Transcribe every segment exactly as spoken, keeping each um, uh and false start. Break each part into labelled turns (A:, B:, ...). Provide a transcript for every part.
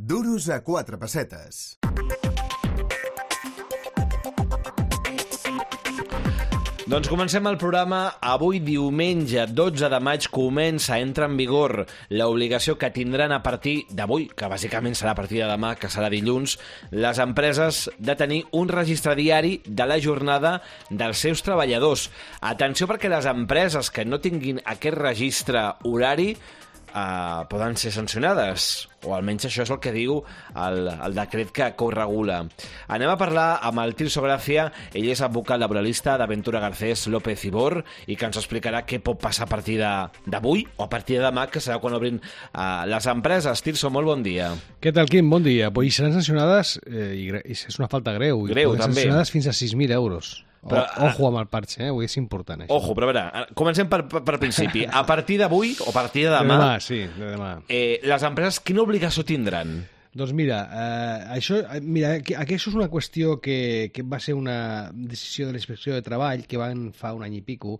A: Duros a quatre pessetes.
B: Doncs comencem el programa. Avui, diumenge dotze de maig, comença, entra en vigor l'obligació que tindran a partir d'avui, que bàsicament serà a partir de demà, que serà dilluns, les empreses de tenir un registre diari de la jornada dels seus treballadors. Atenció, perquè les empreses que no tinguin aquest registre horari Uh, poden ser sancionades, o almenys això és el que diu el, el decret que ho regula. Anem a parlar amb el Tirso Gracia. Ell és advocat laboralista d'Aventura Garcés López i Bor, i que ens explicarà què pot passar a partir d'avui o a partir de demà, que serà quan obrin uh, les empreses. Tirso, molt bon dia.
C: Què tal, Quim? Bon dia. Pues seran sancionades, eh, i, i és una falta greu,
B: greu
C: i
B: també.
C: Sancionades fins a sis mil euros. Però, o, ojo amb el parche, eh? Avui és important, això.
B: Ojo, però a veure, comencem per, per, per principi. A partir d'avui, o a partir de demà,
C: de demà, sí, de demà.
B: Eh, les empreses quina obligació tindran?
C: Doncs mira, eh, això, mira, que, que això és una qüestió que, que va ser una decisió de la Inspecció de Treball que van fa un any i pico,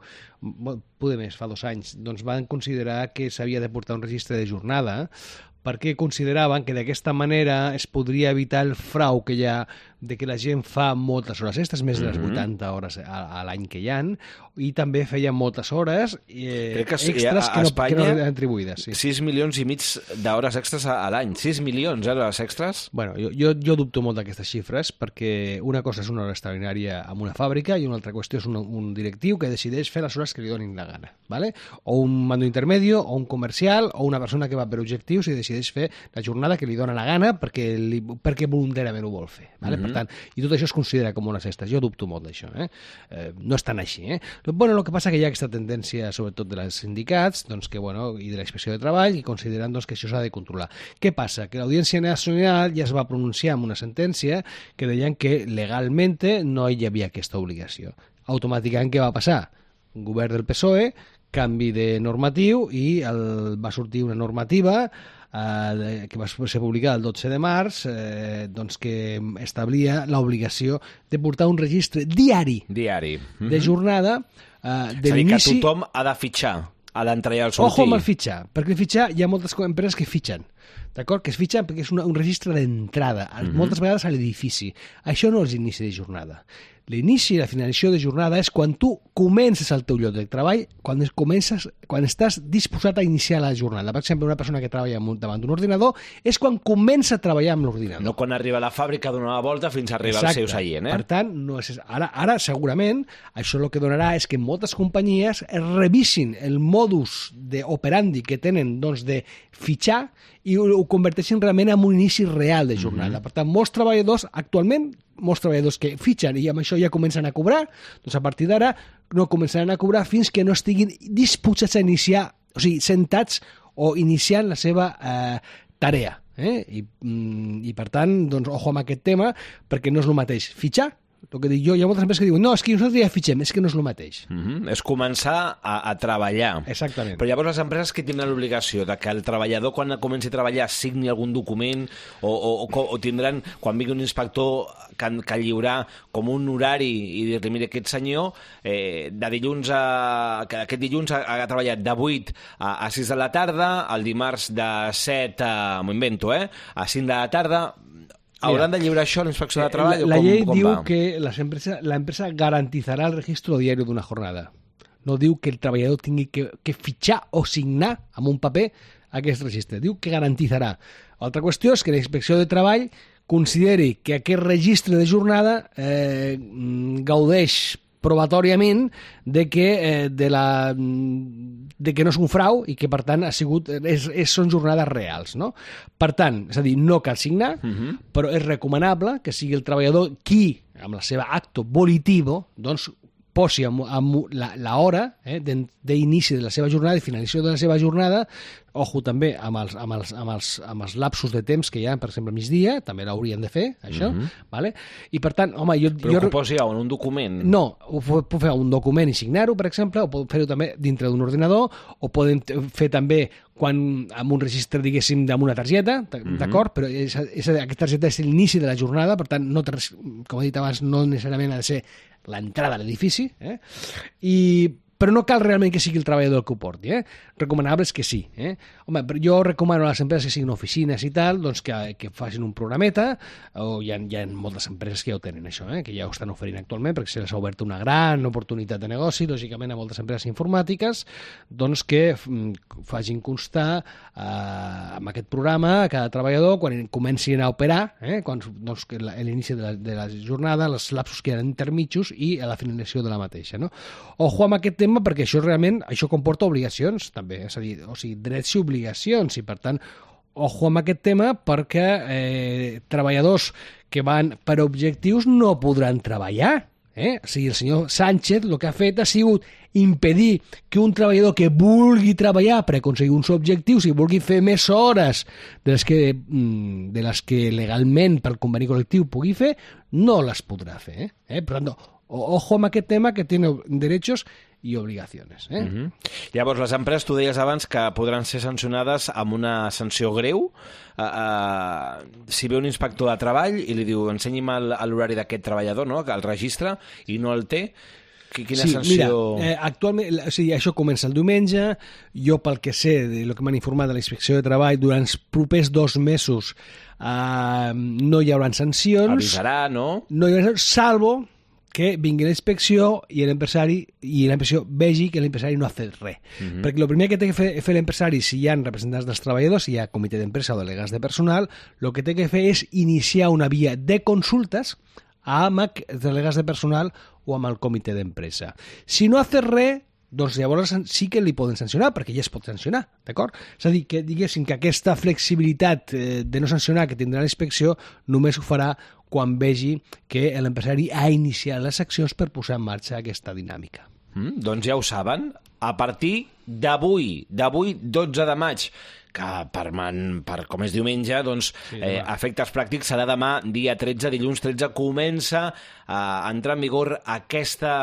C: poder més, fa dos anys, doncs van considerar que s'havia de portar un registre de jornada, perquè consideraven que d'aquesta manera es podria evitar el frau que hi ha de que la gent fa moltes hores extres, més de les vuitanta hores a, a l'any que hi ha, i també feia moltes hores eh,
B: que sí,
C: extres
B: a,
C: que, no,
B: Espanya,
C: que no eren atribuïdes. Sí.
B: sis milions i mig d'hores extres a, a l'any. sis milions d'hores extres?
C: Bueno, jo, jo, jo dubto molt d'aquestes xifres, perquè una cosa és una hora extraordinària en una fàbrica i una altra qüestió és un, un directiu que decideix fer les hores que li donin la gana, ¿vale? O un mando intermedio, o un comercial, o una persona que va per objectius i decideix fer la jornada que li dona la gana perquè, li, perquè voluntàriament ho vol fer, ¿vale? Mm-hmm. Per tant, i tot això es considera com hores extres. Jo dubto molt d'això, eh? eh? No és tan així, eh? Bueno, el que passa que hi ha aquesta tendència, sobretot de les sindicats, doncs que, bueno, i de la Inspecció de Treball, i consideren doncs, que això s'ha de controlar. Què passa? Que l'Audiència Nacional ja es va pronunciar amb una sentència que deien que legalment no hi havia aquesta obligació. Automàticament, què va passar? Un govern del P S O E, canvi de normatiu, i el, va sortir una normativa eh, que va ser publicada el dotze de març, eh, doncs que establia l'obligació de portar un registre diari,
B: diari. Mm-hmm.
C: de jornada eh, de
B: l'inici... És a dir, que tothom ha de fitxar a l'entrar i al sortir.
C: Ojo amb el fitxar, perquè el fitxar hi ha moltes empreses que fitxen, d'acord? Que es fitxen perquè és una, un registre d'entrada, mm-hmm. moltes vegades a l'edifici. Això no és l'inici de jornada. L'inici i la finalització de jornada és quan tu comences el teu lloc de treball, quan, comences, quan estàs disposat a iniciar la jornada. Per exemple, una persona que treballa davant d'un ordinador és quan comença a treballar amb l'ordinador.
B: No quan arriba a la fàbrica a donar la volta fins a arribar Exacte. Al seu seient. Eh?
C: Per tant, no és... ara, ara segurament això el que donarà és que moltes companyies revisin el modus operandi que tenen doncs, de fitxar i ho converteixin realment en un inici real de jornada. Mm-hmm. Per tant, molts treballadors actualment molts treballadors que fitxen i amb això ja comencen a cobrar, doncs a partir d'ara no començaran a cobrar fins que no estiguin disposats a iniciar, o sigui, sentats o iniciant la seva eh, tarea. Eh? I, I per tant, doncs, ojo amb aquest tema, perquè no és el mateix fitxar. El que dic jo, hi ha moltes empreses que diuen no, és que nosaltres ja fitxem, és que no és el mateix.
B: Mm-hmm. És començar a, a treballar.
C: Exactament.
B: Però llavors les empreses que tindran l'obligació de que el treballador quan comenci a treballar signi algun document o, o, o, o tindran, quan vingui un inspector que, que lliurà com un horari i dir-li, mira, aquest senyor eh, de dilluns a, que aquest dilluns ha, ha treballat de vuit a, a sis de la tarda, el dimarts de set a, m'ho invento, eh, a cinc de la tarda. ¿Hauran de lliurar això a la Inspecció de Treball?
C: La, la
B: com,
C: llei
B: com
C: diu
B: va?
C: que les empreses, la empresa garantizarà el registro diario d'una jornada. No diu que el treballador tingui que, que fitxar o signar amb un paper aquest registre. Diu que garantizarà. Altra qüestió és que la Inspecció de Treball consideri que aquest registre de jornada eh, gaudeix probatòriament de que, eh, de, la, de que no és un frau i que, per tant, ha sigut, és, és, són jornades reals. No? Per tant, és a dir, no cal signar, uh-huh. però és recomanable que sigui el treballador qui, amb la seva acto volitivo, doncs, posi amb, amb la, la hora eh, d'inici de la seva jornada i finalització de la seva jornada, ojo també amb els, amb, els, amb, els, amb els lapsos de temps que hi ha, per exemple, a migdia, també l'haurien de fer, això, mm-hmm. vale? I per tant, home... Jo,
B: Però
C: jo...
B: que ho posi en un document?
C: No, ho puc fer un document i signar-ho, per exemple, o pot fer-ho també dintre d'un ordinador, o poden fer també quan amb un registre, diguéssim, amb una targeta, d'acord? Mm-hmm. Però és, és, aquesta targeta és l'inici de la jornada, per tant, no, com he dit abans, no necessàriament ha de ser l'entrada a l'edifici, eh? I però no cal realment que sigui el treballador el que ho porti, eh? Recomanable és que sí, eh? Home, jo recomano a les empreses que siguin oficines i tal, doncs que, que facin un programeta, o hi ha, hi ha moltes empreses que ja ho tenen això, eh? Que ja ho estan oferint actualment, perquè se les ha obert una gran oportunitat de negoci, lògicament a moltes empreses informàtiques, doncs que facin constar eh, amb aquest programa a cada treballador, quan comencin a operar, eh? Quan, doncs, a l'inici de, la, de la jornada, els lapsos que eren intermitjos i a la finalització de la mateixa, no? Ojo amb aquest tema, perquè això realment això comporta obligacions, també, és a dir, o sigui, drets i obligacions, i per tant, ojo amb aquest tema, perquè eh, treballadors que van per objectius no podran treballar. Eh? O sigui, el senyor Sánchez el que ha fet ha sigut impedir que un treballador que vulgui treballar per aconseguir uns objectius i vulgui fer més hores de les que, de les que legalment pel conveni col·lectiu pugui fer, no les podrà fer. Eh? Per tant, ojo amb aquest tema, que tiene derechos i obligacions. Eh?
B: Uh-huh. Llavors, les empreses, tu deies abans que podran ser sancionades amb una sanció greu. Uh, uh, si ve un inspector de treball i li diu ensenyi'm l'horari d'aquest treballador, no?, que el registra i no el té, quina
C: sí,
B: sanció...
C: Mira, eh, actualment, o sigui, això comença el diumenge, jo pel que sé, del que m'han informat de la Inspecció de Treball, durant els propers dos mesos eh, no hi haurà sancions.
B: Avisarà, no?
C: No hi haurà, salvo que vingui la inspecció i l'empresari i l'empresari vegi que l'empresari no ha fet res. Uh-huh. Perquè el primer que té que fer, fer l'empresari, si hi ha representants dels treballadors, si hi ha comitè d'empresa o delegats de personal, el que té que fer és iniciar una via de consultes amb els delegats de personal o amb el comitè d'empresa. Si no ha fet res, doncs llavors sí que li poden sancionar, perquè ja es pot sancionar, d'acord? És a dir, que diguéssim que aquesta flexibilitat de no sancionar que tindrà la inspecció només ho farà quan vegi que l'empresari ha iniciat les accions per posar en marxa aquesta dinàmica.
B: Mm, doncs ja ho saben, a partir d'avui, d'avui dotze de maig, que per, man, per com és diumenge, doncs, sí, eh, efectes pràctics serà demà, dia tretze, dilluns tretze, comença a entrar en vigor aquesta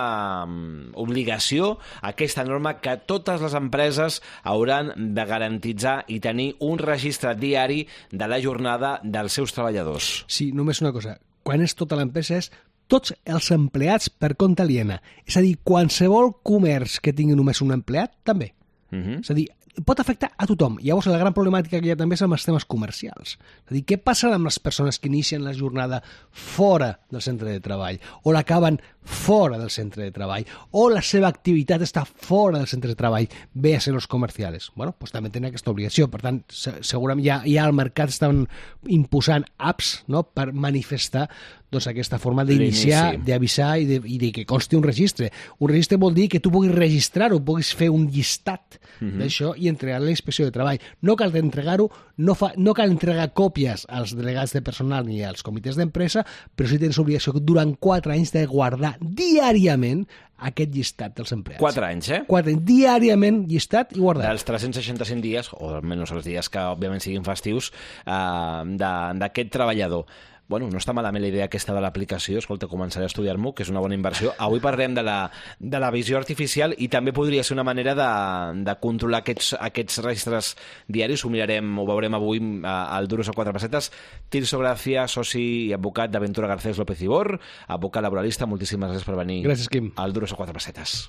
B: um, obligació, aquesta norma que totes les empreses hauran de garantitzar i tenir un registre diari de la jornada dels seus treballadors.
C: Sí, només una cosa, quan és tota l'empresa és tots els empleats per compte aliena. És a dir, qualsevol comerç que tingui només un empleat, també. Uh-huh. És a dir, pot afectar a tothom. Llavors, la gran problemàtica que hi ha també és amb els temes comercials. És a dir, què passa amb les persones que inicien la jornada fora del centre de treball o l'acaben fora del centre de treball o la seva activitat està fora del centre de treball, bé a ser els comercials? Bueno, doncs també tenen aquesta obligació. Per tant, segurament ja, ja al mercat estan imposant apps, no?, per manifestar doncs, aquesta forma d'iniciar, d'avisar i, de, i de que consti un registre. Un registre vol dir que tu puguis registrar-ho, puguis fer un llistat uh-huh. d'això i entregar a la inspecció de treball. No cal entregar-ho, no, fa, no cal entregar còpies als delegats de personal ni als comitès d'empresa, però sí tens obligació durant quatre anys de guardar diàriament aquest llistat dels empleats.
B: Quatre anys, eh?
C: Quatre anys, diàriament llistat i guardat.
B: Dels tres-cents seixanta-cinc dies, o almenys els dies que òbviament siguin festius, eh, d'aquest treballador. Bueno, no està malament la idea aquesta de l'aplicació, escolta, començaré a estudiar-m'ho, que és una bona inversió. Avui parlem de la, de la visió artificial i també podria ser una manera de, de controlar aquests, aquests registres diaris. Ho mirarem, ho veurem avui al Duros a quatre pessetes. Tirso Gracia, soci i advocat d'Aventura Garcés López Ibor, advocat laboralista, moltíssimes gràcies per venir
C: gràcies, Quim.
B: al Duros a quatre pessetes.